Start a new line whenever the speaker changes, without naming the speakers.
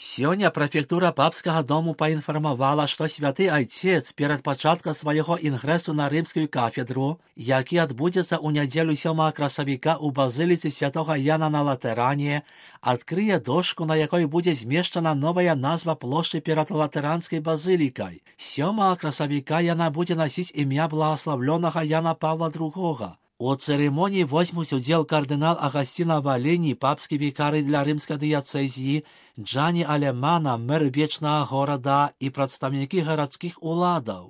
Сёння прэфектура папскага дому паінфармавала, што святы айцец перад пачаткам свайго інгрэсу на рымскую кафедру, які адбудзецца ў нядзелю 7 красавіка ў базыліцы святога Яна на Латэране, адкрые дошку, на якой будзе змешчана новая назва плошчы перад латэранскай базылікай. 7 красавіка яна будзе насіць імя благаславлёнага Яна Павла II. У церемонии возьмуць удзел кардынал Агасціна Валені, папскі вікарый для рымскай дыяцэзіі, Джані Алемана, мэр вечнага горада і прадстаўнікі гарадскіх уладаў.